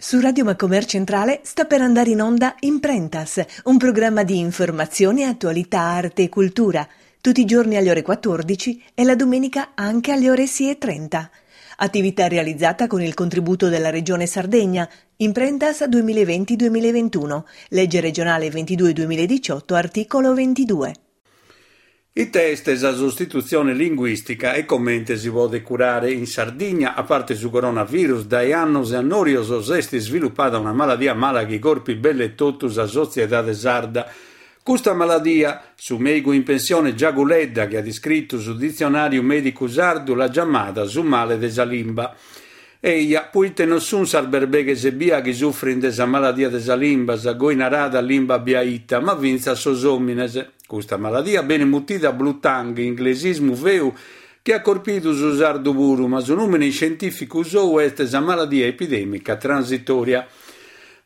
Su Radio Macomer Centrale sta per andare in onda Imprentas, un programma di informazione, attualità, arte e cultura, tutti i giorni alle ore 14 e la domenica anche alle ore 6.30. Attività realizzata con il contributo della Regione Sardegna, Imprentas 2020-2021, legge regionale 22-2018, articolo 22. Ite est sa sostitutzione linguìstica e comente si podet curare? In Sardigna, a parte su coronavirus, dae annos e annòrios s'est isvilupada una maladia mala chi corpit belle totu sa sotziedade sarda. Custa maladia, su mèigu in pensione Giagu Ledda, chi at iscritu su Ditzionàriu Mèdicu Sardu, l'at giamada su male de sa limba. Eja, poite non sunt sas berbeghes ebbia chi sufrint de sa maladia de sa limba, sa goi narada limba biaita, ma fintzas sos òmines. Custa maladia benit mutida blue tongue, inglesismu feu chi at corpidu su sardu puru, ma su nùmene iscientìficu sou est sa maladia epidèmica transitòria.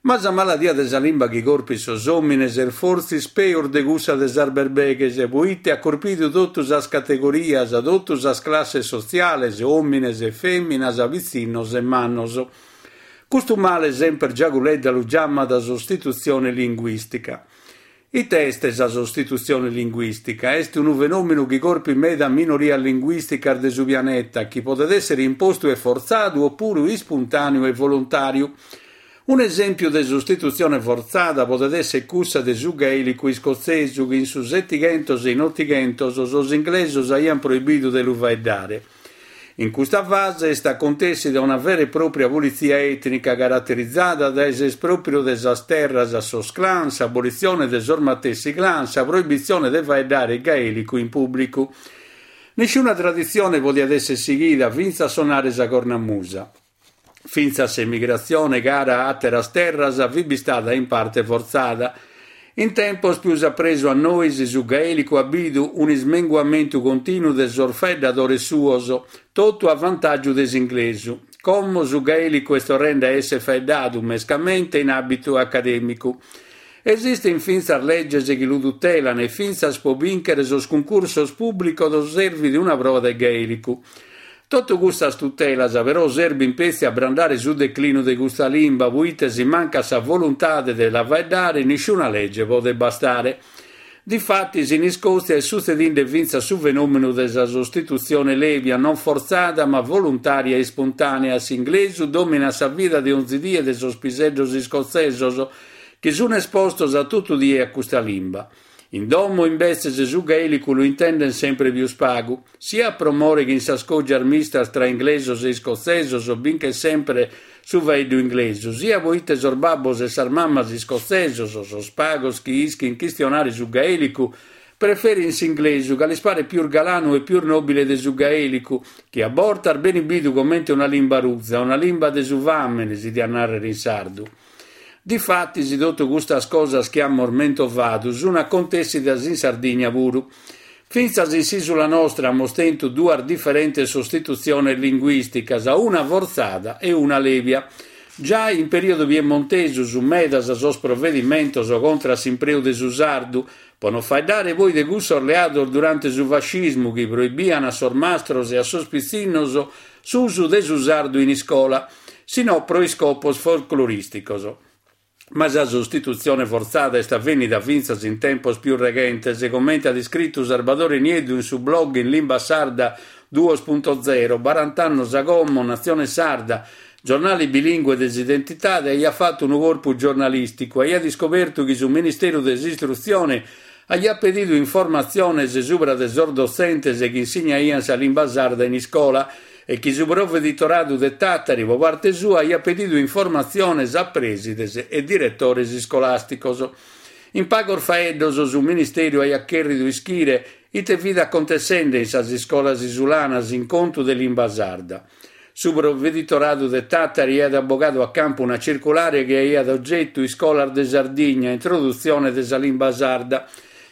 Ma sa maladia de sa limba chi corpit sos òmines est fortzis peus de cussa de sas berbeghes, poite at corpidu totu sas categorias, totu sas classes sotziales, òmines e fèminas, pitzinnos e mannos. Custu male semper Giagu Ledda lu giamat sostitutzione linguìstica. Ite est sa sostitutzione linguìstica? Est unu fenòmenu chi corpit meda minorias linguìsticas de su pianeta, chi podet èssere impostu e fortzadu opuru ispuntàneu e voluntàriu. Un'esèmpiu de sostitutzione fortzada podet èssere cussa de su gaèlicu iscotzesu chi in su Setighentos e in Otighentos sos inglesos aiant proibidu de lu faeddare. In custa fase est acontèssida una vera e pròpria pulitzia ètnica caraterizada dae s'espròpriu de sas terras a sos clans, s'abolitzione de sos matessi clans, sa proibitzione de faeddare gaèlicu in pùblicu. Nisciuna traditzione podiat èssere sighida, fintzas sonare sa cornamusa. Fintzas s'emigratzione cara a àteras terras fit bistada in parte fortzada. In tempos pius a presu a nois su gaèlicu at bidu un'ismenguamentu continu de sos faeddadores suos, totu a vantàgiu de s'inglesu. Como su gaèlicu est torrende a èssere faeddadu, mescamente in àmbitu acadèmicu. Esistint fintzas leges chi lu tutelan e fintzas pro bìnchere sos cuncursos pùblicos servit una proa de gaèlicu. Totu custas tutelas però serbint petzi a brandare su declinu de custa limba, poite si mancat sa voluntade de la faeddare nisciuna lege podet bastare. Difatis in Iscòtzia est sutzedinde fintzas su fenòmenu de sa sostitutzione lèbia, non fortzada ma voluntària e ispuntànea, s'inglesu dòminat sa vida de onzi die de sos piseddos iscotzesos, chi sunt espostos a totu die a custa limba. In domo, imbetzes, su gaèlicu lu intendent sempre pius pagu, siat pro more chi in sas cògias mistas tra inglesos e iscotzesos binchet sempre su faeddu inglesu, siat poite sos babbos e sas mamas iscotzesos, sos pagos chi ischint chistionare su gaèlicu, preferint s'inglesu ca lis paret pius galanu e pius nòbile de su gaèlicu, chi a bortas benit bidu comente una limba ruza, una limba de su fàmene, si diat nàrrere in sardu. Difatis totu custas cosas chi amus mentovadu sun acontèssidas in Sardigna puru. Fintzas in s'ìsula nostra amus tentu duas diferentes sostitutziones linguìsticas, una fortzada e una lèbia. Giai in perìodu piemontesu sun medas sos provedimentos contra a s'impreu de su sardu, pro non faeddare poi de cussos leados durante su fascismu chi proibian a sos mastros e a sos pitzinnos s'usu de su sardu in iscola, si no pro iscopos folclorìsticos. Ma sa sostitutzione fortzada est avènnida fintzas in tempos pius reghentes, comente at iscritu Sarbadore Nieddu in su blog in limba sarda duos punto zero, barant'annos a como, Natzione Sarda, giornale bilìngue de s'identidade, aiat fatu unu corpu giornalìsticu, aiat iscobertu chi su Ministeru de s'Istrutzione aiat pedidu informatziones subra de sos dotzentes chi insignaiant sa limba sarda in iscola e chi su Proveditoradu de Tàtari pro parte sua aiat pedidu informatziones a prèsides e diretores iscolàsticos. In pagos faeddos su Ministèriu aiat chèrridu ischire ite fit acontessende in sas iscolas isulanas in contu de limba sarda. Su Proveditoradu de Tàtari aiat bogadu a campu una circulare chi aiat ogetu Iscolas de Sardigna, introdutzione de sa limba sarda.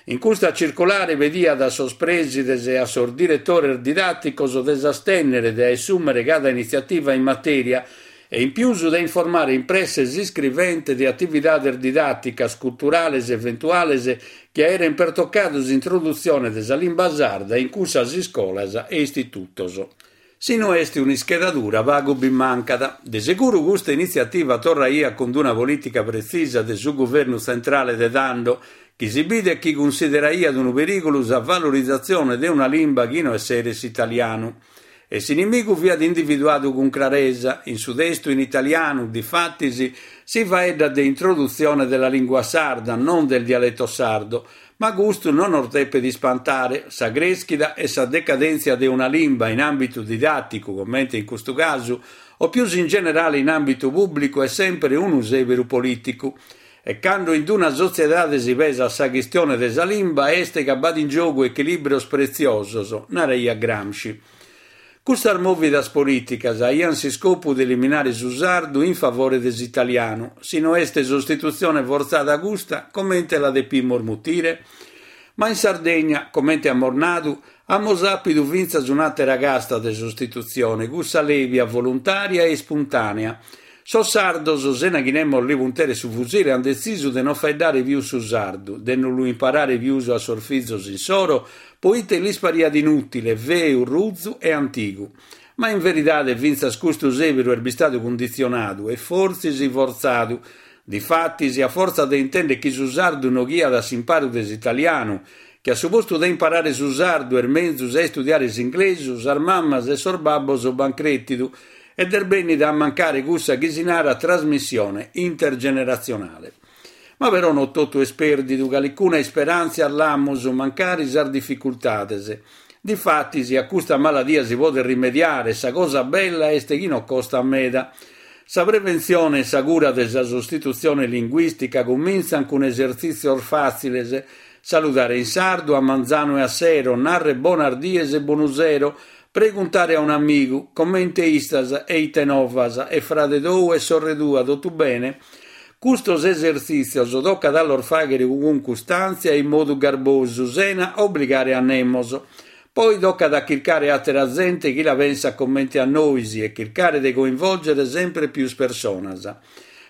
In custa circulare pediat a sos prèsides e a sos diretores didàticos de s'astènnere de assùmere cada initziativa in matèria e in pius de informare in presse s'iscrivente de atividades didàticas, culturales eventuales chi aerent pertocadu s'introdutzione de sa limba sarda in cussas iscolas e istitutos. Si no est un'ischedadura pagu bi mancat. De seguru custa initziativa torraiat cun una polìtica pretzisa de su guvernu tzentrale de tando, chi si bidet chi cunsideraiat unu perìgulu sa valorizatzione de una limba chi no esseret s'italianu. E s'inimigu fiat individuadu cun craresa, in su testu in italianu, difatis, si faeddat de introduzione della lingua sarda, non del dialetto sardo, Ma custu non nos depet ispantare, sa crèschida e sa decadèntzia de una limba in àmbitu didàticu, comente in custu casu, o pius in generale in àmbitu pùblicu est semper unu sèberu polìticu. E cando in una sotziedade si pesat sa chistione de sa limba est ca b'at in giogu echilìbrios pretziosos, naraiat Gramsci. Custas mòvidas polìticas aiant s'iscopu de eliminare su sardu in favore de s'italianu. Si no est sostitutzione fortzada custa, comente la depimus mutire? Ma in Sardegna, comente amus nadu, amus àpidu fintzas un'àtera casta de sostitutzione, cussa lèbia, voluntària e ispuntànea. Sos sardos, sena chi nemos li punteret su fusile, ant detzisu de non faeddare pius su sardu, de non lu imparare pius a sos fizos insoro, poite lis pariat inùtile, feu, ruzu e antigu. Ma in veridade fintzas custu sèberu est bistadu cunditzionadu e fortzis fortzadu. Difatis, a fortza de intender chi su sardu noghiat a s'imparu de s'italianu, chi a su postu de imparare su sardu est menzus a istudiare s'inglesu, sas mamas e sos babbos b'ant crètidu ed est bènnida a mancare cussa chi si narat trasmissione intergeneratzionale. Ma però no totu est pèrdidu, calicuna isperàntzia l'amus, mancari sas dificultades. Difatis, a custa maladia si podet rimediare e sa cosa bella est chi no costat meda. Sa preventzione e sa cura de sa sostitutzione linguìstica cumintzant cun esertzìtzios fàtziles, saludare in sardu a manzanu e a sero, narrer bonas dies e bonu sero, Preguntare a un'amigu, comente istas e ite novas, e frade tou e sorre tua, totu bene? Custos esertzìtzios tocat a los fàghere cun custàntzia e in modu garbosu, sena obligare a nemos. Poi tocat a chircare àtera zente chi la pensat comente a nois e chircare de coinvolgere sempre pius personas.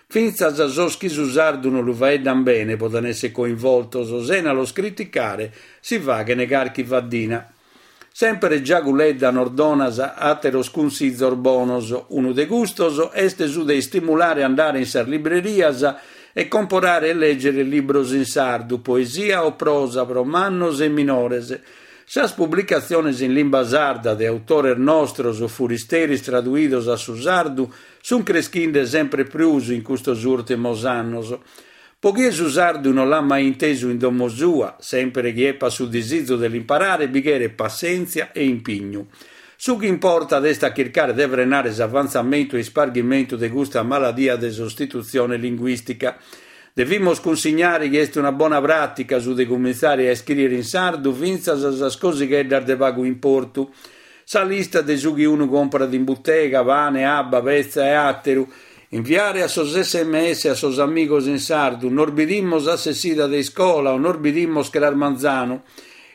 Fintzas sos chi su sardu no lu faeddan bene poden èssere coinvoltos, sena los criticare si faghen carchi faddina. Semper Giagu Ledda nos donat àteros cunsizos bonos, unu de custos est su de istimulare a andare in sas librerias e comporare e lègere libros in sardu, poesia o prosa pro mannos e minores. Sas publicatziones in limba sarda de autores nostros o furisteris traduidos a su sardu sunt creschinde sempre prus in custos ùrtimos annos. Po chie su sardu no l'at mai intesu in domo sua, sèmpere chi epat su disizu de l'imparare bi cheret passèntzia e impignu. Su chi importat est a chircare de frenare s'avantzamentu e isparghimentu de custa maladia de sostitutzione linguìstica. Devimus cunsignare chi est una bona pràtica su de cumintzare a iscrìere in sardu fintzas sas cosigheddas de pagu importu. Sa lista de su chi unu comporat in butega, pane, abba, petza e àteru, Inviare a sos sms a sos amigos in sardu, nos bidimos a s'essida de iscola o nos bidimos cras manzanu.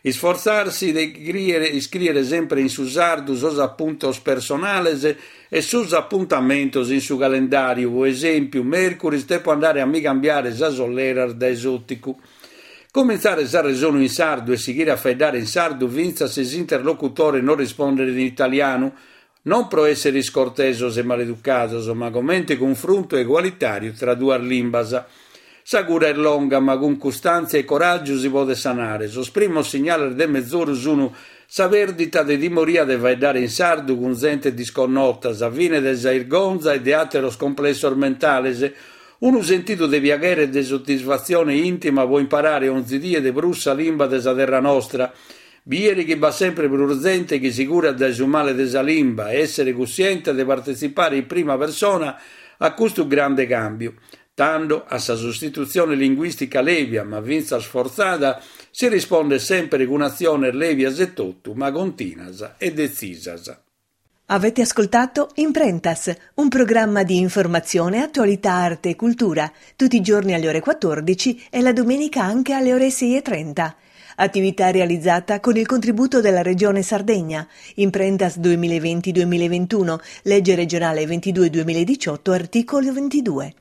Isfortzarsi de iscrìere sempre in su sardu sos apuntos personales e sos apuntamentos in su calendàriu, pro esèmpiu, mèrcuris depo andare a mi cambiare sas olleras dae s'òticu. Comintzare s'arresonu in sardu e sighire a faeddare in sardu fintzas si s'interlocutore nos rispondet in italianu, Non pro èssere iscortesos e maleducados, ma comente cunfruntu egualitàriu tra duas limbas. Sa cura est longa, ma cun custàntzia e coràgiu si podet sanare. Sos primos signales de mezoru sunu sa pèrdita de timoria de faeddare in sardu cun zente disconnota, sa fine de sa 'irgonza e de àteros complessos mentales, unu sentidu de piaghere e de soddisfatzione ìntima pro imparare onzi die de prus sa limba de sa terra nostra, Bìere chi b'at sempre prus zente chi si curat dae su male de sa limba e èssere cussiente de partetzipare in prima persona a custu grande càmbiu. Tando, a sa sostitutzione linguìstica lèbia, ma fintzas fortzada, si rispondet sempre cun atziones lèbias etotu, ma continas e detzisas. Avete ascoltato Imprentas, un programma di informazione, attualità, arte e cultura, tutti i giorni alle ore 14 e la domenica anche alle ore 6.30. Attività realizzata con il contributo della Regione Sardegna. Imprentas 2020-2021, legge regionale 22-2018, articolo 22.